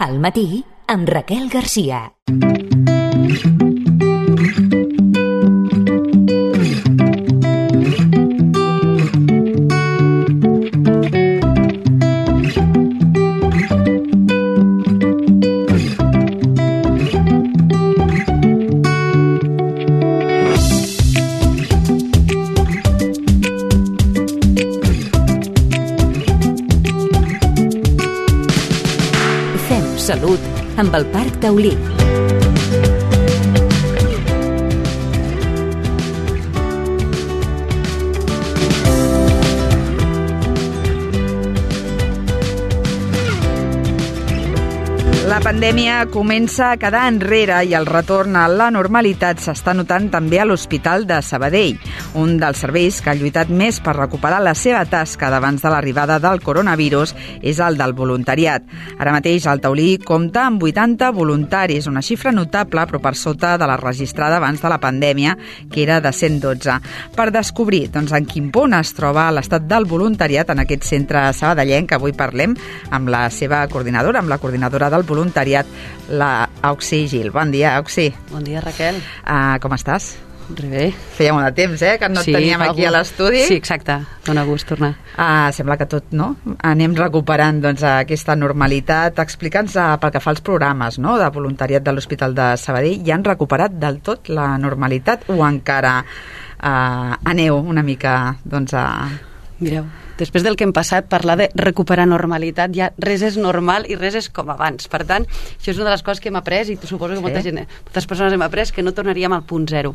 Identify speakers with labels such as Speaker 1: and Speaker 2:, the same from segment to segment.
Speaker 1: Al matí, amb Raquel Garcia. Salut amb el Parc Taulí.
Speaker 2: La pandèmia comença a quedar enrere i el retorn a la normalitat s'està notant també a l'Hospital de Sabadell, un dels serveis que ha lluitat més per recuperar la seva tasca d'abans de l'arribada del coronavirus és el del voluntariat. Ara mateix el Taulí compta amb 80 voluntaris, una xifra notable però per sota de la registrada abans de la pandèmia, que era de 112. Per descobrir en quin punt es troba l'estat del voluntariat en aquest centre sabadellenc, que avui parlem amb la seva coordinadora, amb la coordinadora del voluntariat, la Auxi Gil. Bon dia, Auxi.
Speaker 3: Bon dia, Raquel.
Speaker 2: Com estàs?
Speaker 3: Bé.
Speaker 2: Feia molt de temps, que no et teníem aquí a l'estudi.
Speaker 3: Sí, exacte. Dóna gust tornar.
Speaker 2: Sembla que tot, no? Anem recuperant aquesta normalitat. Explica'ns pel que fa als programes, no?, de voluntariat de l'Hospital de Sabadell. Ja han recuperat del tot la normalitat o encara aneu una mica,
Speaker 3: Mireu, després del que hem passat, parlar de recuperar normalitat, ja res és normal i res és com abans. Per tant, això és una de les coses que hem après i suposo que moltes persones hem après que no tornaríem al punt zero.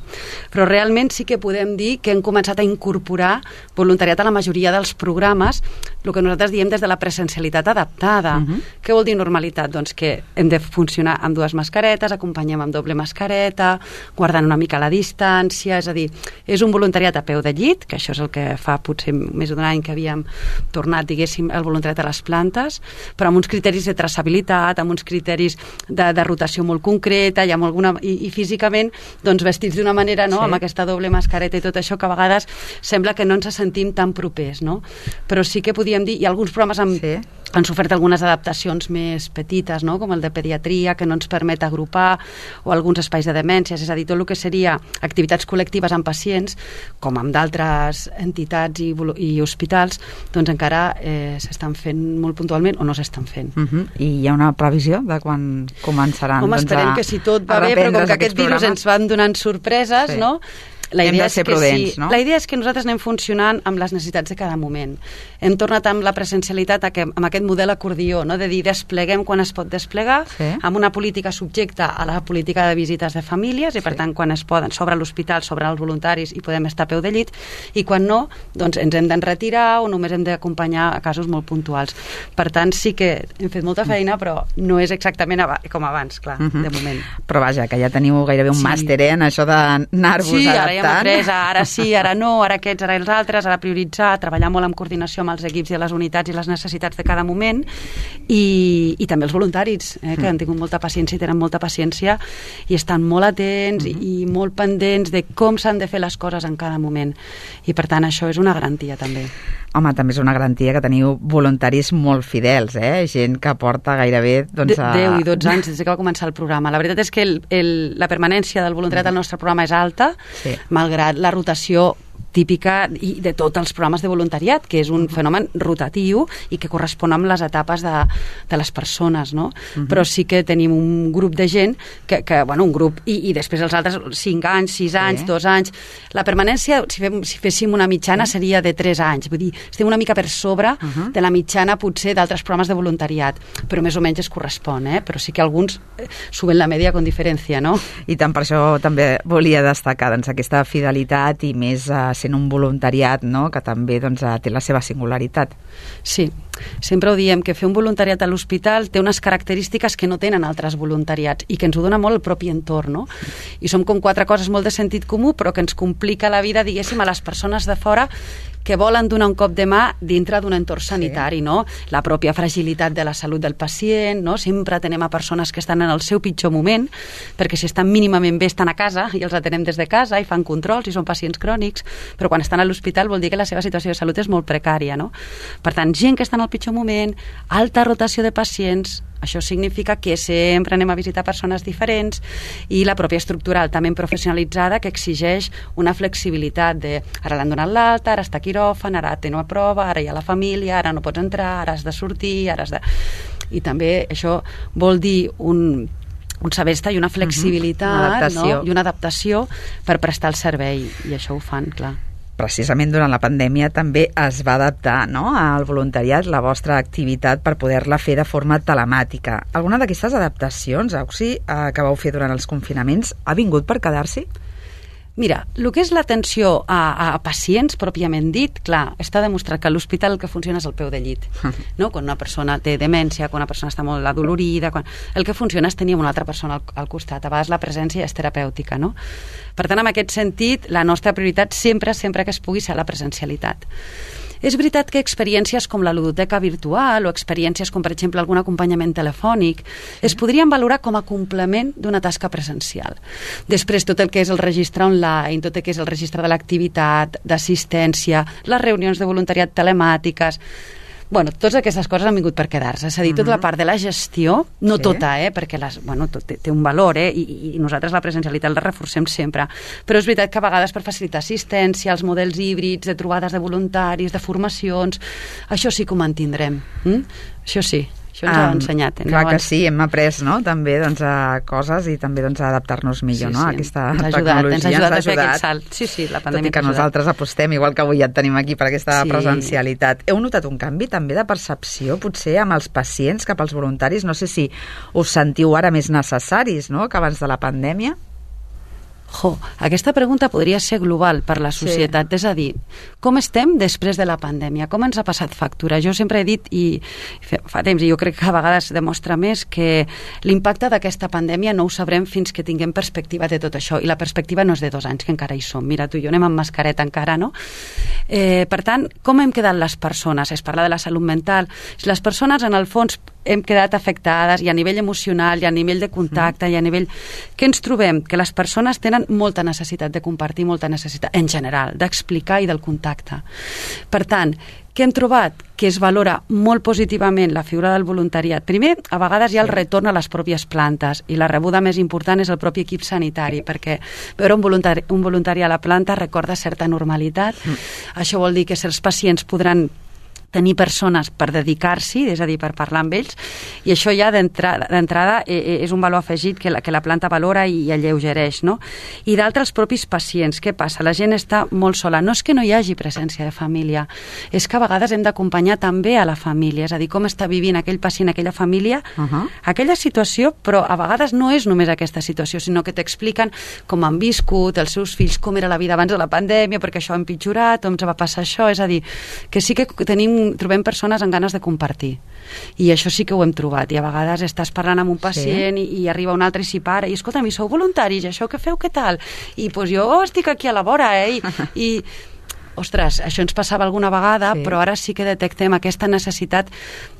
Speaker 3: Però realment sí que podem dir que hem començat a incorporar voluntariat a la majoria dels programes, el que nosaltres diem des de la presencialitat adaptada. Què vol dir normalitat? Doncs que hem de funcionar amb dues mascaretes, acompanyem amb doble mascareta, guardant una mica la distància, és a dir, és un voluntariat a peu de llit, que això és el que fa potser més d'un any que havíem tornat, diguéssim, el voluntariat a les plantes, però amb uns criteris de traçabilitat, amb uns criteris de rotació molt concreta i físicament vestits d'una manera, no? Sí. Amb aquesta doble mascareta i tot això, que a vegades sembla que no ens sentim tan propers, no? Però sí que podíem dir, i alguns programes han sofert algunes adaptacions més petites, no?, com el de pediatria, que no ens permet agrupar, o alguns espais de demències, és a dir, tot el que seria activitats col·lectives amb pacients, com amb d'altres entitats i hospitals, doncs encara s'estan fent molt puntualment o no s'estan fent.
Speaker 2: I hi ha una previsió de quan començaran
Speaker 3: esperem que si tot va bé, però com que aquest virus ens van donant sorpreses, no? La idea és que
Speaker 2: no?
Speaker 3: La idea és que nosaltres anem funcionant amb les necessitats de cada moment. Hem tornat amb la presencialitat amb aquest model acordió, no? De dir, despleguem quan es pot desplegar, amb una política subjecta a la política de visites de famílies, i per tant quan es poden, sobre l'hospital, sobre els voluntaris, i podem estar a peu de llit, i quan no, doncs ens hem d'enretirar o només hem d'acompanyar a casos molt puntuals. Per tant, sí que hem fet molta feina, però no és exactament com abans, clar, de moment.
Speaker 2: Però vaja, que ja teniu gairebé un màster, en això d'anar-vos adaptant.
Speaker 3: Hem après, ara sí, ara no, ara aquests, ara els altres, ara prioritzar, treballar molt en coordinació amb els equips i les unitats i les necessitats de cada moment, i també els voluntaris, que han tingut molta paciència i tenen molta paciència i estan molt atents i molt pendents de com s'han de fer les coses en cada moment. I per tant això és una garantia també.
Speaker 2: Home, també és una garantia que teniu voluntaris molt fidels, gent que porta gairebé
Speaker 3: 10 i 12 anys des que va començar el programa. La veritat és que la permanència del voluntariat al nostre programa és alta, malgrat la rotació típica i de tots els programes de voluntariat, que és un fenomen rotatiu i que correspon amb les etapes de les persones, no? Però sí que tenim un grup de gent un grup, i després els altres 5 anys, 6 anys, 2 anys. La permanència, si féssim una mitjana, seria de 3 anys. Vull dir, estem una mica per sobre de la mitjana, potser, d'altres programes de voluntariat, però més o menys es correspon, però sí que alguns suben la media con diferència, no?
Speaker 2: I tant per això també volia destacar aquesta fidelitat i més sent un voluntariat, no?, que també té la seva singularitat.
Speaker 3: Sí, sempre ho diem, que fer un voluntariat a l'hospital té unes característiques que no tenen altres voluntariats i que ens ho dona molt el propi entorn, no? I som com 4 coses molt de sentit comú, però que ens complica la vida, diguéssim, a les persones de fora que volen donar un cop de mà dintre d'un entorn sanitari, no? La pròpia fragilitat de la salut del pacient, no? Sempre atenem a persones que estan en el seu pitjor moment, perquè si estan mínimament bé estan a casa i els atenem des de casa i fan controls i són pacients crònics, però quan estan a l'hospital vol dir que la seva situació de salut és molt precària, no? Per tant, gent que està en el pitjor moment, alta rotació de pacients, això significa que sempre anem a visitar persones diferents, i la pròpia estructura altament professionalitzada que exigeix una flexibilitat de ara l'han donat l'alta, ara està a quiròfan, ara té una prova, ara hi ha la família, ara no pots entrar, ara has de sortir, ara has de... I també això vol dir un saber estar i una flexibilitat, no? I una adaptació per prestar el servei, i això ho fan, clar.
Speaker 2: Precisament durant la pandèmia també es va adaptar, no?, al voluntariat la vostra activitat per poder-la fer de forma telemàtica. Alguna d'aquestes adaptacions, Auxi, que vau fer durant els confinaments, ha vingut per quedar-s'hi?
Speaker 3: Mira, el que és l'atenció a pacients, pròpiament dit, clar, està demostrat que a l'hospital el que funciona és el peu de llit, no? Quan una persona té demència, quan una persona està molt adolorida, el que funciona és tenir una altra persona al costat. A vegades la presència és terapèutica, no? Per tant, en aquest sentit, la nostra prioritat sempre que es pugui ser la presencialitat. És veritat que experiències com la ludoteca virtual o experiències com, per exemple, algun acompanyament telefònic es podrien valorar com a complement d'una tasca presencial. Després, tot el que és el registre online, tot el que és el registre de l'activitat, d'assistència, les reunions de voluntariat telemàtiques... Bueno, totes aquestes coses han vingut per quedar-se. És a dir, tota la part de la gestió, no tota, perquè tot té un valor, i nosaltres la presencialitat la reforcem sempre. Però és veritat que a vegades per facilitar assistència, els models híbrids, de trobades de voluntaris, de formacions, això sí que ho mantindrem. Això sí. Això ens ha ensenyat.
Speaker 2: Clar que sí, hem après, no?, també coses i també a adaptar-nos millor, no?, a aquesta tecnologia.
Speaker 3: Ens ha ajudat a fer aquest salt. Sí, la pandèmia.
Speaker 2: Tot i que nosaltres apostem, igual que avui ja et tenim aquí per aquesta presencialitat. Heu notat un canvi també de percepció, potser, amb els pacients cap als voluntaris? No sé si us sentiu ara més necessaris, no?, que abans de la pandèmia?
Speaker 3: Aquesta pregunta podria ser global per la societat, és a dir, com estem després de la pandèmia, com ens ha passat factura. Jo sempre he dit, i fa temps, i jo crec que a vegades demostra més, que l'impacte d'aquesta pandèmia no ho sabrem fins que tinguem perspectiva de tot això, i la perspectiva no és de 2 anys, que encara hi som. Mira, tu i jo anem amb mascareta encara, no? Per tant, com hem quedat les persones? Es parla de la salut mental. Les persones, en el fons, hem quedat afectades, i a nivell emocional, i a nivell de contacte, i a nivell... Què ens trobem? Que les persones tenen molta necessitat de compartir, molta necessitat, en general, d'explicar i del contacte. Per tant, què hem trobat? Que es valora molt positivament la figura del voluntariat. Primer, a vegades hi ha el retorn a les pròpies plantes, i la rebuda més important és el propi equip sanitari, perquè veure un voluntari a la planta recorda certa normalitat. Això vol dir que certs pacients podran tenir persones per dedicar-s'hi, és a dir, per parlar amb ells, i això ja d'entrada és un valor afegit que la planta valora i alleugereix, no? I d'altres propis pacients. Què passa? La gent està molt sola. No és que no hi hagi presència de família, és que a vegades hem d'acompanyar també a la família, és a dir, com està vivint aquell pacient, aquella família, aquella situació, però a vegades no és només aquesta situació, sinó que t'expliquen com han viscut els seus fills, com era la vida abans de la pandèmia, perquè això ha empitjorat, o ens va passar això, és a dir, que sí que trobem persones amb ganes de compartir, i això sí que ho hem trobat, i a vegades estàs parlant amb un pacient i arriba un altre i s'hi para, i escolta'm, i sou voluntaris, això que feu, què tal? I doncs jo estic aquí a la vora, i ostres, això ens passava alguna vegada, però ara sí que detectem aquesta necessitat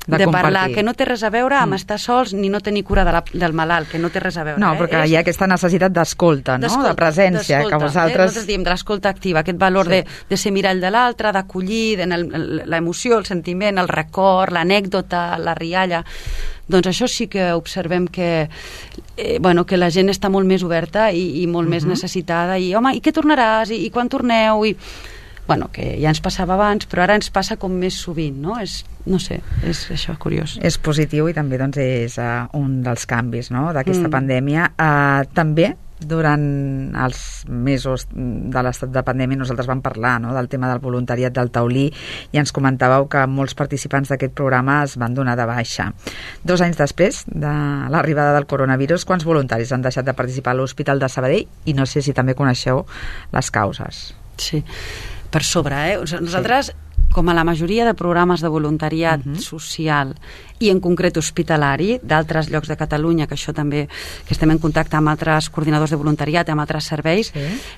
Speaker 3: de parlar, que no té res a veure amb estar sols ni no tenir cura del malalt, que no té res a veure.
Speaker 2: No, perquè hi ha aquesta necessitat d'escolta, no?, de presència, que vosaltres...
Speaker 3: Nosaltres diem de l'escolta activa, aquest valor de ser mirall de l'altre, d'acollir l'emoció, el sentiment, el record, l'anècdota, la rialla. Doncs això sí que observem que la gent està molt més oberta i molt més necessitada, i home, i què tornaràs, i quan torneu, que ja ens passava abans, però ara ens passa com més sovint, no? No sé, és això, curiós.
Speaker 2: És positiu, i també és un dels canvis, no?, d'aquesta pandèmia. També durant els mesos de l'estat de pandèmia nosaltres vam parlar, no?, del tema del voluntariat del taulí, i ens comentàveu que molts participants d'aquest programa es van donar de baixa. 2 anys després de l'arribada del coronavirus, quants voluntaris han deixat de participar a l'Hospital de Sabadell? I no sé si també coneixeu les causes.
Speaker 3: Sí, per sobre, nosaltres, com a la majoria de programes de voluntariat social i en concret hospitalari d'altres llocs de Catalunya, que això també, que estem en contacte amb altres coordinadors de voluntariat, amb altres serveis,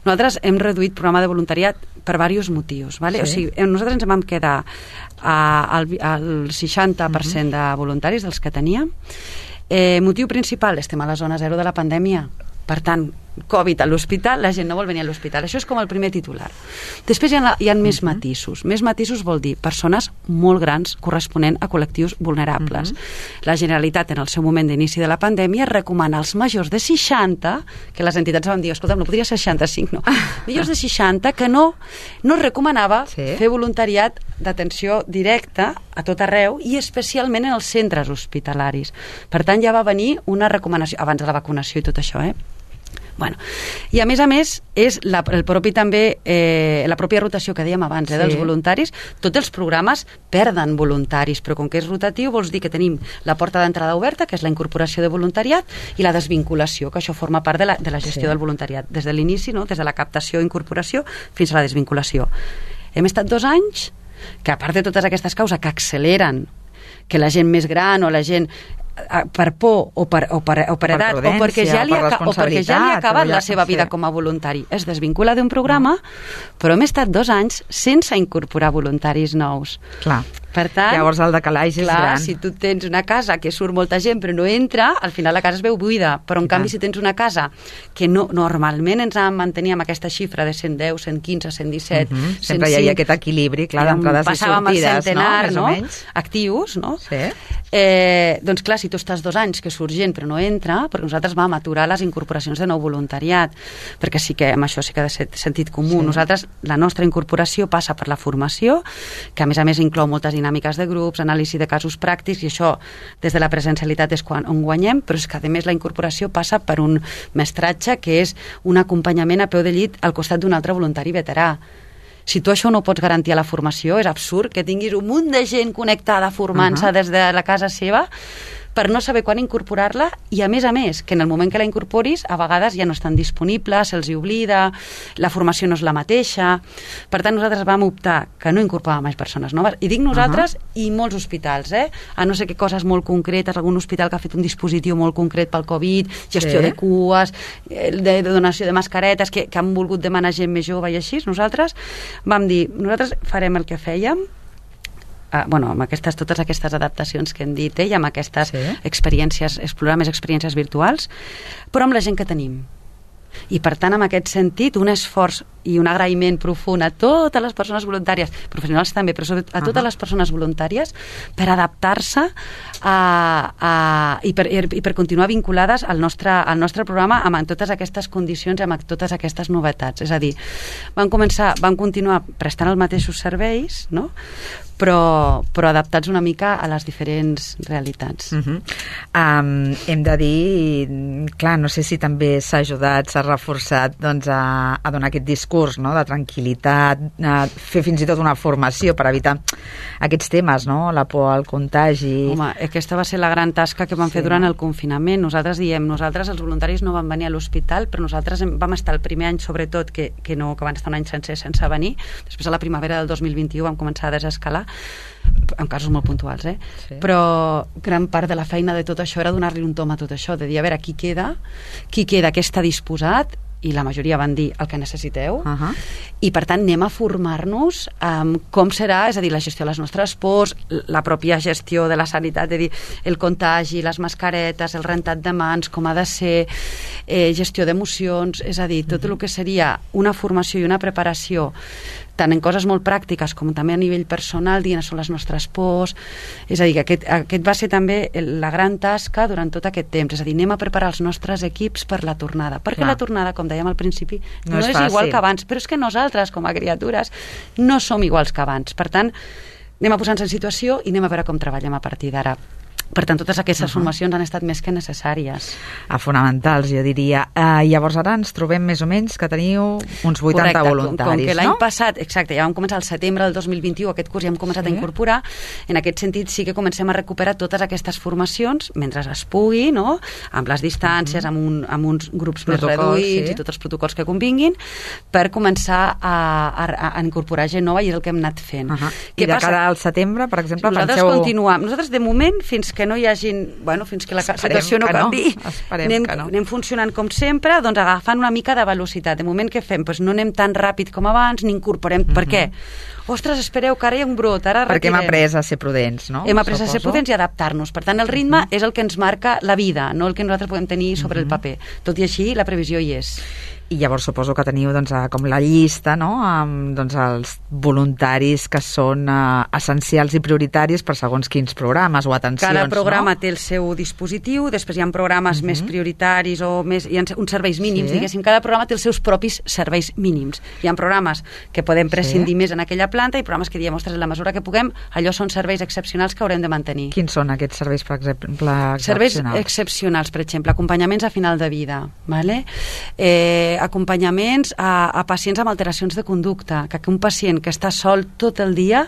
Speaker 3: nosaltres hem reduït programa de voluntariat per diversos motius, ¿vale? O sigui, nosaltres ens vam quedar al 60% de voluntaris dels que teníem. Motiu principal, estem a la zona zero de la pandèmia. Per tant, Covid a l'hospital, la gent no vol venir a l'hospital. Això és com el primer titular. Després hi ha més matisos. Més matisos vol dir persones molt grans corresponent a col·lectius vulnerables. La Generalitat, en el seu moment d'inici de la pandèmia, recomana als majors de 60, que les entitats van dir, escolta, no podria ser 65, no. Majors de 60 que no recomanava fer voluntariat d'atenció directa a tot arreu i especialment en els centres hospitalaris. Per tant, ja va venir una recomanació, abans de la vacunació i tot això, Bueno, i a més és el propi també la pròpia rotació que dèiem abans dels voluntaris. Tots els programes perden voluntaris, però com que és rotatiu vols dir que tenim la porta d'entrada oberta, que és la incorporació de voluntariat, i la desvinculació, que això forma part de la gestió del voluntariat, des de l'inici, no? Des de la captació i incorporació fins a la desvinculació. Hem estat 2 anys que, a part de totes aquestes causes que acceleren que la gent més gran o la gent per por o per edat o perquè ja li ha acabat la seva vida com a voluntari es desvincula d'un programa, però hem estat 2 anys sense incorporar voluntaris nous.
Speaker 2: Clar.
Speaker 3: Per tant,
Speaker 2: llavors el decalatge és gran.
Speaker 3: Si tu tens una casa que surt molta gent però no entra, al final la casa es veu buida, però en canvi si tens una casa que normalment ens vam mantenir amb aquesta xifra de 110, 115, 117, 105,
Speaker 2: sempre hi havia aquest equilibri, clar, d'entrades i sortides,
Speaker 3: passàvem al centenar,
Speaker 2: no?
Speaker 3: Actius, no?
Speaker 2: Sí.
Speaker 3: Doncs clar, si tu estàs 2 anys que surt gent però no entra, perquè nosaltres vam aturar les incorporacions de nou voluntariat, perquè sí que amb això sí que ha de ser sentit comú. Nosaltres, la nostra incorporació passa per la formació, que a més inclou moltes dinàmiques de grups, anàlisi de casos pràctics, i això des de la presencialitat és on guanyem, però és que a més la incorporació passa per un mestratge que és un acompanyament a peu de llit al costat d'un altre voluntari veterà. Si tu això no ho pots garantir a la formació, és absurd que tinguis un munt de gent connectada formant-se des de la casa seva per no saber quan incorporar-la, i a més, que en el moment que la incorporis a vegades ja no estan disponibles, se'ls oblida, la formació no és la mateixa. Per tant, nosaltres vam optar que no incorporàvem més persones noves, i dic nosaltres i molts hospitals, a no ser que coses molt concretes, algun hospital que ha fet un dispositiu molt concret pel Covid, gestió de cues, de donació de mascaretes, que han volgut demanar gent més jove i així, nosaltres vam dir, nosaltres farem el que fèiem, amb totes aquestes adaptacions que hem dit, i amb aquestes experiències, explorar més experiències virtuals, però amb la gent que tenim. I per tant, en aquest sentit, un esforç i un agraïment profund a totes les persones voluntàries, professionals també, però sobretot a totes les persones voluntàries, per adaptar-se i per continuar vinculades al nostre programa amb totes aquestes condicions i amb totes aquestes novetats. És a dir, vam continuar prestant els mateixos serveis, no? però adaptats una mica a les diferents realitats.
Speaker 2: Hem de dir, clar, no sé si també s'ha ajudat, s'ha reforçat a donar aquest discurs, no?, de tranquil·litat, fer fins i tot una formació per evitar aquests temes, no?, la por al contagi.
Speaker 3: Home, aquesta va ser la gran tasca que vam fer durant el confinament. Nosaltres els voluntaris no vam venir a l'hospital, però nosaltres vam estar el primer any, sobretot, que van estar un any sense venir. Després, a la primavera del 2021, vam començar a desescalar, en casos molt puntuals, però gran part de la feina de tot això era donar-li un tom a tot això, de dir, a veure, qui queda, què està disposat, i la majoria van dir el que necessiteu, i per tant anem a formar-nos com serà, és a dir, la gestió de les nostres pors, la pròpia gestió de la sanitat, és a dir, el contagi, les mascaretes, el rentat de mans, com ha de ser, gestió d'emocions, és a dir, tot el que seria una formació i una preparació tant en coses molt pràctiques com també a nivell personal, dient són les nostres pors. És a dir, que aquest va ser també la gran tasca durant tot aquest temps. És a dir, anem a preparar els nostres equips per la tornada. Perquè la tornada, com dèiem al principi, no és igual que abans, però és que nosaltres, com a criatures, no som iguals que abans. Per tant, anem a posar-nos en situació i anem a veure com treballem a partir d'ara. Per tant, totes aquestes formacions han estat més que necessàries.
Speaker 2: Fonamentals, jo diria. Llavors ara ens trobem més o menys que teniu uns 80 voluntaris,
Speaker 3: com que l'any passat, exacte, ja vam començar al setembre del 2021, aquest curs ja hem començat a incorporar, en aquest sentit sí que comencem a recuperar totes aquestes formacions, mentre es pugui, no?, amb les distàncies, amb uns grups més reduïts i tots els protocols que convinguin, per començar a incorporar gent nova, i és el que hem anat fent.
Speaker 2: I de cara al setembre, per exemple,
Speaker 3: nosaltres continuem. Nosaltres, de moment, fins que no hi hagin, fins que la situació no canvi, anem funcionant com sempre, doncs agafant una mica de velocitat. De moment, què fem? No anem tan ràpid com abans, ni incorporem. Per què? ostres, espereu, que ara hi ha un brot, ara
Speaker 2: perquè
Speaker 3: retirem.
Speaker 2: hem après a ser prudents, no?
Speaker 3: Hem après a ser prudents i adaptar-nos. Per tant, el ritme és el que ens marca la vida, no el que nosaltres podem tenir sobre el paper. Tot i així, la previsió hi és.
Speaker 2: I llavors suposo que teniu doncs, com la llista, no?, amb doncs, els voluntaris que són essencials i prioritaris per segons quins programes o atencions.
Speaker 3: Cada programa
Speaker 2: no?
Speaker 3: té el seu dispositiu, després hi ha programes més prioritaris o més, hi ha uns serveis mínims, diguéssim, cada programa té els seus propis serveis mínims. Hi ha programes que podem prescindir més en aquella planta i programes que diem, ostres, en la mesura que puguem, allò són serveis excepcionals que haurem de mantenir.
Speaker 2: Quins són aquests serveis, per exemple,
Speaker 3: serveis excepcionals, per exemple, acompanyaments a final de vida, ¿vale? Acompanyaments a pacients amb alteracions de conducta, que un pacient que està sol tot el dia,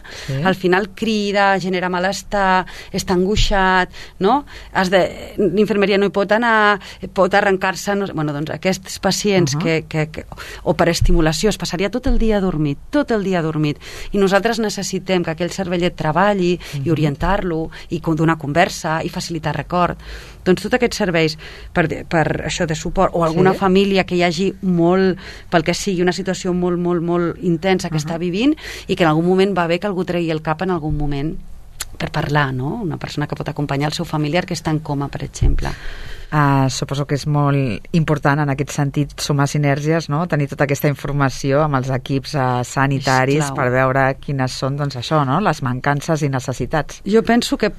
Speaker 3: al final crida, genera malestar, està angoixat, no? L'infermeria no hi pot anar, pot arrencar-se... No, bueno, doncs aquests pacients o per estimulació es passaria tot el dia dormit, i nosaltres necessitem que aquell cervellet treballi i orientar-lo, i donar conversa, i facilitar record. Doncs tots aquests serveis per això de suport, o alguna família que hi hagi molt, pel que sigui, una situació molt intensa que està vivint i que en algun moment va bé que algú tregui el cap en algun moment per parlar, no? Una persona que pot acompanyar el seu familiar que està en coma, per exemple.
Speaker 2: Suposo que és molt important en aquest sentit sumar sinergies, no? Tenir tota aquesta informació amb els equips sanitaris per veure quines són, doncs això, no? Les mancances i necessitats.
Speaker 3: Jo penso que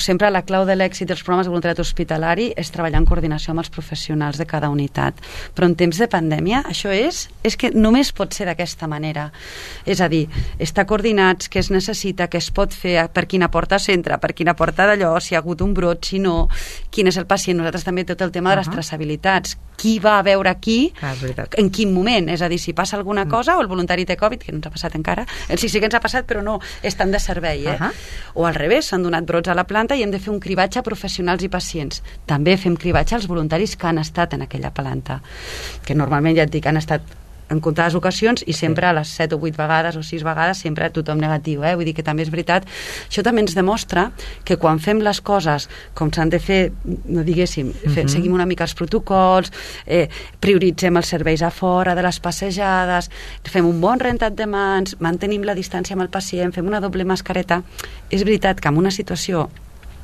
Speaker 3: sempre la clau de l'èxit dels programes de voluntariat hospitalari és treballar en coordinació amb els professionals de cada unitat, però en temps de pandèmia això és que només pot ser d'aquesta manera, és a dir, estar coordinats, què es necessita, què es pot fer, per quina porta s'entra, per quina porta d'allò, si ha hagut un brot, si no, quin és el pacient. Nosaltres també tot el tema de les traçabilitats, qui va a veure qui, en quin moment, és a dir, si passa alguna cosa o el voluntari té Covid, que no ens ha passat encara, sí que ens ha passat però no, estan de servei, o al revés, s'han donat brots a la planta i hem de fer un cribatge a professionals i pacients. També fem cribatge als voluntaris que han estat en aquella planta, que normalment, ja et dic, han estat en comptades ocasions i sempre a les 7 o 8 vegades o 6 vegades sempre tothom negatiu, vull dir que també és veritat. Això també ens demostra que quan fem les coses com s'han de fer, no diguéssim, seguim una mica els protocols, prioritzem els serveis a fora de les passejades, fem un bon rentat de mans, mantenim la distància amb el pacient, fem una doble mascareta. És veritat que en una situació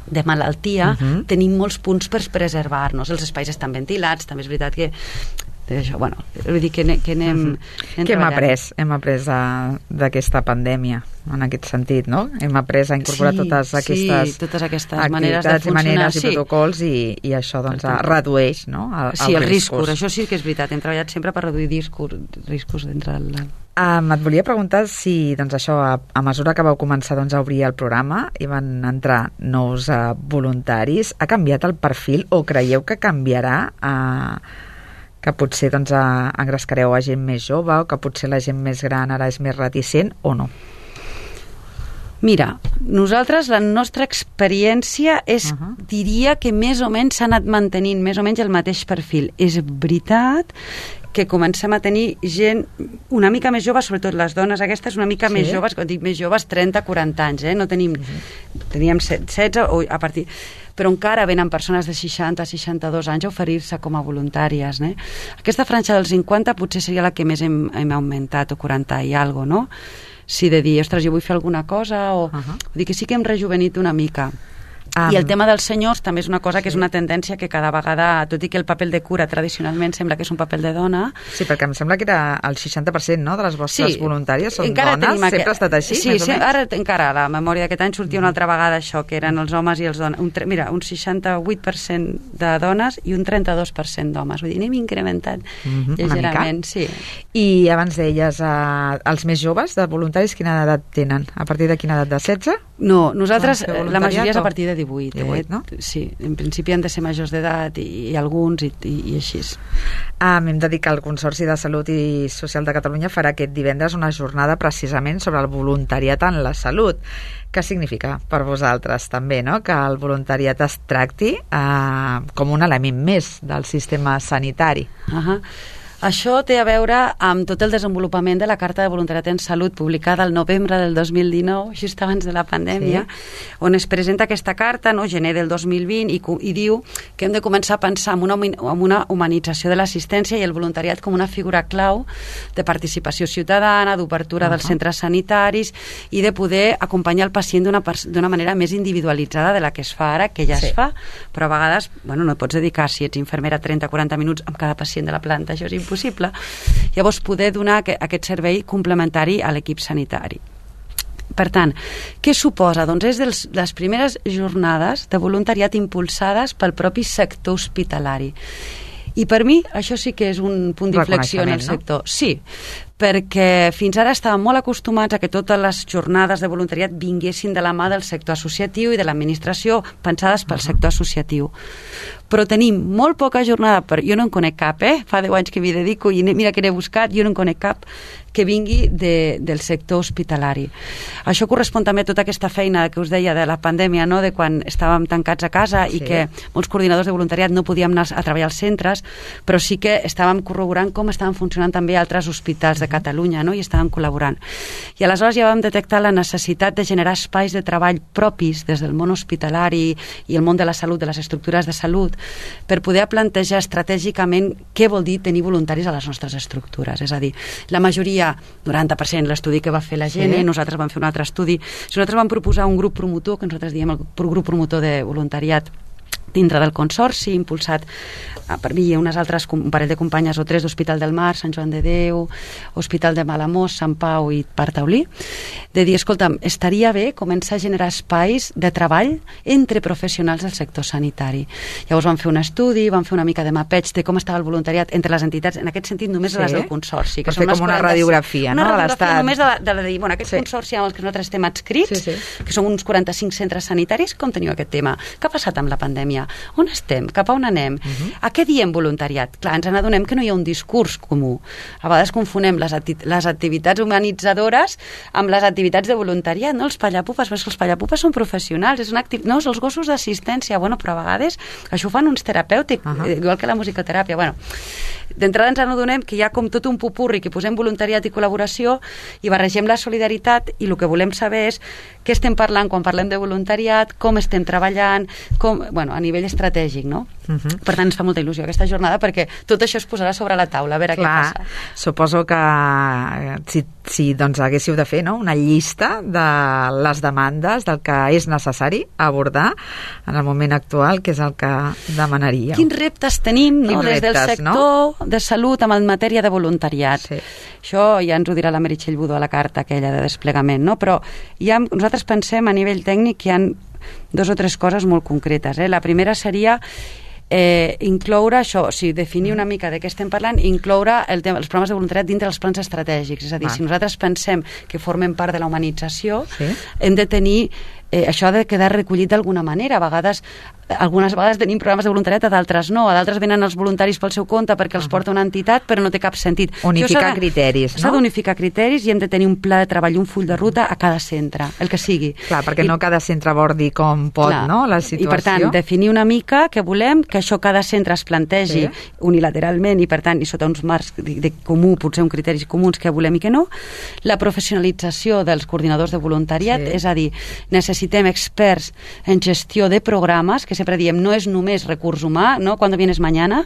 Speaker 3: de malaltia tenim molts punts per preservar-nos. Els espais estan ventilats, també és veritat que això, bueno, vull dir que anem
Speaker 2: què hem après d'aquesta pandèmia en aquest sentit, no? Hem après a incorporar totes aquestes
Speaker 3: maneres de funcionar,
Speaker 2: maneres i protocols i això doncs redueix, no?
Speaker 3: Els riscos, això sí que és veritat, hem treballat sempre per reduir riscos dintre del...
Speaker 2: Et volia preguntar si, doncs això, a mesura que vau començar a obrir el programa i van entrar nous voluntaris, ha canviat el perfil o creieu que canviarà que potser engrescareu a gent més jove o que potser la gent més gran ara és més reticent o no?
Speaker 3: Mira, nosaltres, la nostra experiència diria que més o menys s'ha anat mantenint més o menys el mateix perfil. És veritat que comencem a tenir gent una mica més jove, sobretot les dones aquestes una mica més joves, quan dic més joves 30-40 anys, no teníem 16 o a partir... però encara venen persones de 60-62 anys a oferir-se com a voluntàries. Aquesta franja dels 50 potser seria la que més hem augmentat, o 40 i alguna cosa, no? Si de dir, ostres, jo vull fer alguna cosa, o... Vull dir que sí que hem rejuvenit una mica. I el tema dels senyors també és una cosa que és una tendència que cada vegada, tot i que el paper de cura tradicionalment sembla que és un paper de dona...
Speaker 2: Sí, perquè em sembla que era el 60%, no?, de les vostres voluntàries són dones. Sempre ha estat així,
Speaker 3: més o menys? Ara encara, a la memòria d'aquest any sortia una altra vegada això, que eren els homes i els dones. Mira, un 68% de dones i un 32% d'homes. Vull dir, n'hem incrementat lleugerament. Sí.
Speaker 2: I abans deies, els més joves de voluntaris, quina edat tenen? A partir de quina edat? De 16?
Speaker 3: No, nosaltres, la majoria és a partir de 18,
Speaker 2: 18, no?
Speaker 3: Sí, en principi han de ser majors d'edat i alguns i així.
Speaker 2: Hem de dir que el Consorci de Salut i Social de Catalunya farà aquest divendres una jornada precisament sobre el voluntariat en la salut. Què significa per vosaltres també, no?, que el voluntariat es tracti com un element més del sistema sanitari?
Speaker 3: Això té a veure amb tot el desenvolupament de la Carta de Voluntariat en Salut publicada el novembre del 2019, just abans de la pandèmia, on es presenta aquesta carta, no, gener del 2020, i diu que hem de començar a pensar en una humanització de l'assistència i el voluntariat com una figura clau de participació ciutadana, d'obertura dels centres sanitaris i de poder acompanyar el pacient d'una manera més individualitzada de la que es fa ara, que ja es fa, però a vegades no et pots dedicar, si ets infermera, 30-40 minuts amb cada pacient de la planta, això és impossible. Llavors, poder donar aquest servei complementari a l'equip sanitari. Per tant, què suposa? Doncs és de les primeres jornades de voluntariat impulsades pel propi sector hospitalari. I per mi això sí que és un punt d'inflexió en el sector. No? Sí, perquè fins ara estàvem molt acostumats a que totes les jornades de voluntariat vinguessin de la mà del sector associatiu i de l'administració, pensades pel sector associatiu. Però tenim molt poca jornada, jo no en conec cap, fa 10 anys que m'hi dedico i mira que n'he buscat, jo no en conec cap que vingui del sector hospitalari. Això correspon també a tota aquesta feina que us deia de la pandèmia, no? De quan estàvem tancats a casa i que molts coordinadors de voluntariat no podíem anar a treballar als centres, però sí que estàvem corroborant com estaven funcionant també altres hospitals de Catalunya, no? I estàvem col·laborant. I aleshores ja vam detectar la necessitat de generar espais de treball propis des del món hospitalari i el món de la salut, de les estructures de salut, per poder plantejar estratègicament què vol dir tenir voluntaris a les nostres estructures. És a dir, la majoria, 90%, l'estudi que va fer la gent, nosaltres vam fer un altre estudi, nosaltres vam proposar un grup promotor, que nosaltres diem el grup promotor de voluntariat dintre del consorci, impulsat per mi i un parell de companyes o 3 d'Hospital del Mar, Sant Joan de Déu, Hospital de Malamós, Sant Pau i Parc Taulí, de dir, escolta'm, estaria bé començar a generar espais de treball entre professionals del sector sanitari. Llavors vam fer un estudi, vam fer una mica de mapeig de com estava el voluntariat entre les entitats, en aquest sentit només les del consorci.
Speaker 2: Per fer com una radiografia, no?
Speaker 3: Una radiografia només de dir, bueno, aquest consorci amb el que nosaltres estem adscrits, que són uns 45 centres sanitaris, com teniu aquest tema? Què ha passat amb la pandèmia? On estem? Cap a on anem? A què diem voluntariat? Clar, ens n'adonem que no hi ha un discurs comú. A vegades confonem les activitats humanitzadores amb les activitats de voluntariat, no? Els pallapupes, però els pallapupes són professionals, no, els gossos d'assistència, bueno, però a vegades això ho fan uns terapèutics, igual que la musicoteràpia. Bueno, d'entrada ens n'adonem que hi ha com tot un popurri que posem voluntariat i col·laboració i barregem la solidaritat i el que volem saber és què estem parlant quan parlem de voluntariat, com estem treballant, a nivell estratègic, no? Per tant, ens fa molta il·lusió aquesta jornada perquè tot això es posarà sobre la taula, a veure què passa.
Speaker 2: Suposo que si doncs haguéssiu de fer una llista de les demandes del que és necessari abordar en el moment actual, que és el que demanaríeu.
Speaker 3: Quins reptes tenim des del sector de salut en matèria de voluntariat? Això ja ens ho dirà la Meritxell Budó a la carta aquella de desplegament, no? Però nosaltres pensem a nivell tècnic que hi ha 2 o 3 coses molt concretes. La primera seria incloure això, definir una mica de què estem parlant, incloure els programes de voluntariat dintre dels plans estratègics. És a dir, si nosaltres pensem que formen part de la humanització, hem de tenir això ha de quedar recollit d'alguna manera. Algunes vegades tenim programes de voluntariat, a d'altres no. A d'altres venen els voluntaris pel seu compte perquè els porta una entitat, però no té cap sentit.
Speaker 2: Unificar criteris, no?
Speaker 3: S'ha d'unificar criteris i hem de tenir un pla de treball, un full de ruta a cada centre, el que sigui.
Speaker 2: Clar, perquè no cada centre abordi com pot, no?, la situació.
Speaker 3: I per tant, definir una mica què volem, que això cada centre es plantegi unilateralment i per tant, i sota uns marcs de comú, potser uns criteris comuns que volem i que no. La professionalització dels coordinadors de voluntariat, és a dir, necessitem experts en gestió de programes, que sempre diem, no és només recurs humà, no cuando vienes mañana,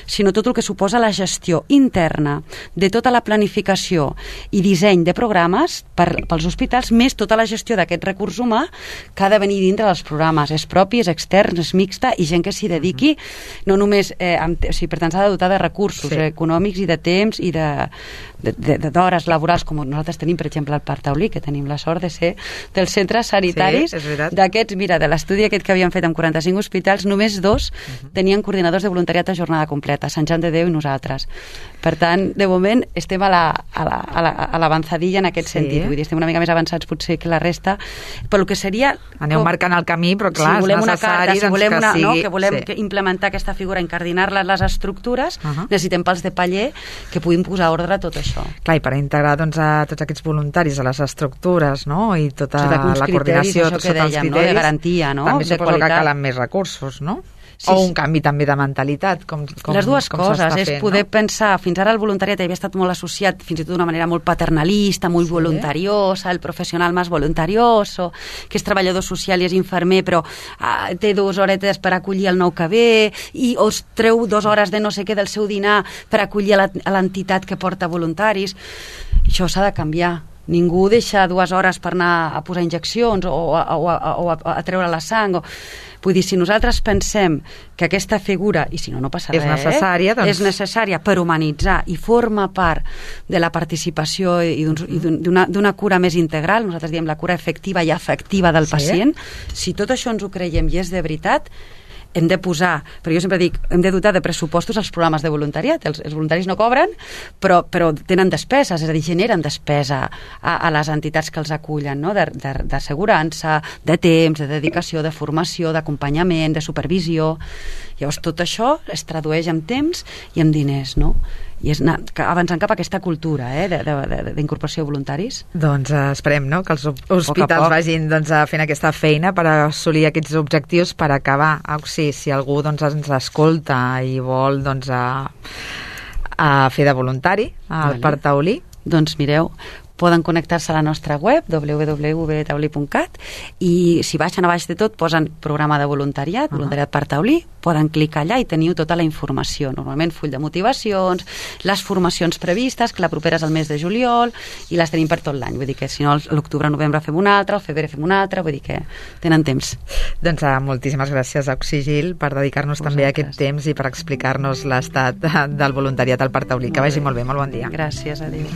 Speaker 3: sinó tot el que suposa la gestió interna de tota la planificació i disseny de programes pels hospitals, més tota la gestió d'aquest recurs humà que ha de venir dintre dels programes. És propi, és extern, és mixta, i gent que s'hi dediqui, no només... per tant, s'ha de dotar de recursos econòmics i de temps i d'hores laborals, com nosaltres tenim, per exemple, al Parc Taulí, que tenim la sort de ser dels centres sanitaris. D'aquests, mira, de l'estudi aquest que havíem fet amb 45 hospitals, només 2 tenien coordinadors de voluntariat a jornada completa, Sant Joan de Déu i nosaltres. Per tant, de moment, estem a l'avançadilla en aquest sentit. Vull dir, estem una mica més avançats potser que la resta, però el que seria...
Speaker 2: Aneu marcant el camí, però clar, és necessari que sigui...
Speaker 3: Que volem implementar aquesta figura, encardinar-la a les estructures, necessitem pals de paller que puguin posar ordre a tot això.
Speaker 2: Clar, i per integrar a tots aquests voluntaris a les estructures, no?, i tota la coordinació,
Speaker 3: sota els criteris, de garantia, no?,
Speaker 2: també suposo que calen més recursos, no? o un canvi també de mentalitat, com
Speaker 3: les dues coses, és
Speaker 2: fent,
Speaker 3: poder pensar, fins ara el voluntariat havia estat molt associat fins i tot d'una manera molt paternalista, molt voluntariosa, el professional més voluntarioso, que és treballador social i és infermer, però té 2 horetes per acollir el nou que ve, i os treu 2 hores de no sé què del seu dinar per acollir a l'entitat que porta voluntaris. Això s'ha de canviar. Ningú deixa 2 hores per anar a posar injeccions o a treure la sang. Vull dir, si nosaltres pensem que aquesta figura, i si no passa res, és necessària per humanitzar i forma part de la participació i d'una cura més integral, nosaltres diem la cura efectiva i afectiva del pacient, si tot això ens ho creiem i és de veritat, hem de posar, però jo sempre dic, hem de dotar de pressupostos els programes de voluntariat. Els voluntaris no cobren, però tenen despeses, és a dir, generen despesa a les entitats que els acullen, no? D'assegurança, de temps, de dedicació, de formació, d'acompanyament, de supervisió. Llavors, tot això es tradueix en temps i en diners, no? I és anar avançant cap a aquesta cultura d'incorporació de voluntaris.
Speaker 2: Doncs esperem, no?, que els hospitals vagin fent aquesta feina per assolir aquests objectius, per acabar. Si algú ens escolta i vol a fer de voluntari al Parc Taulí,
Speaker 3: doncs mireu, poden connectar-se a la nostra web www.taulí.cat i si baixen a baix de tot posen programa de voluntariat, voluntariat Parc Taulí, poden clicar allà i teniu tota la informació, normalment full de motivacions, les formacions previstes, que la propera és el mes de juliol i les tenim per tot l'any, vull dir que si no l'octubre, novembre fem una altra, el febrer fem una altra, vull dir que tenen temps.
Speaker 2: Doncs moltíssimes gràcies a Oxigil per dedicar-nos també a aquest temps i per explicar-nos l'estat del voluntariat al Parc Taulí. Que vagi molt bé, molt bon dia.
Speaker 3: Gràcies, adéu.